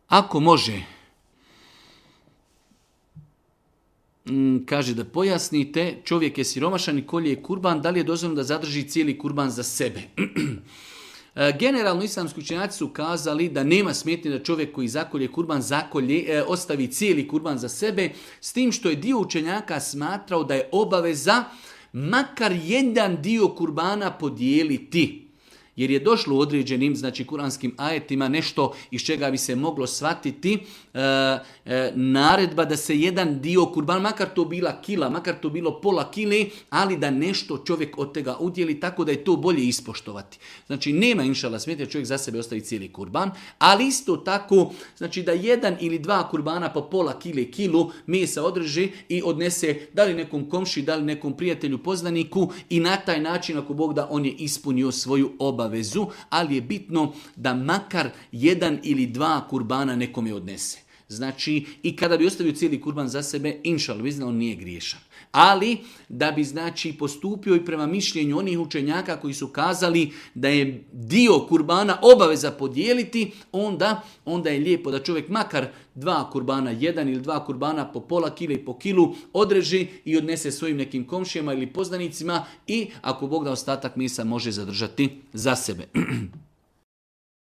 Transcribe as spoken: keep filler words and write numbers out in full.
Ako može, kaže da pojasnite, čovjek je siromašan i kolje kurban, da li je dozvoljeno da zadrži cijeli kurban za sebe? Generalno islamski učenjaci su kazali da nema smetnje da čovjek koji zakolje kurban zakolje, e, ostavi cijeli kurban za sebe, s tim što je dio učenjaka smatrao da je obaveza makar jedan dio kurbana podijeliti. Jer je došlo u određenim, znači, kuranskim ajetima nešto iz čega bi se moglo shvatiti e, e, naredba da se jedan dio kurban, makar to bila kila, makar to bilo pola kile, ali da nešto čovjek od tega udjeli, tako da je to bolje ispoštovati. Znači, nema inšala smetnje čovjek za sebe ostavi cijeli kurban, ali isto tako, znači da jedan ili dva kurbana po pola kile, kilu mesa održi i odnese da li nekom komši, da li nekom prijatelju, poznaniku i na taj način, ako Bog da, on je ispunio svoju obavezu. Vezu, ali je bitno da makar jedan ili dva kurbana nekome odnese. Znači, i kada bi ostavio cijeli kurban za sebe, inšal bizna, on nije griješan. Ali, da bi, znači, postupio i prema mišljenju onih učenjaka koji su kazali da je dio kurbana obaveza podijeliti, onda, onda je lijepo da čovjek makar dva kurbana, jedan ili dva kurbana po pola kile i po kilu odreži i odnese svojim nekim komšijama ili poznanicima i ako Bog da ostatak mesa može zadržati za sebe.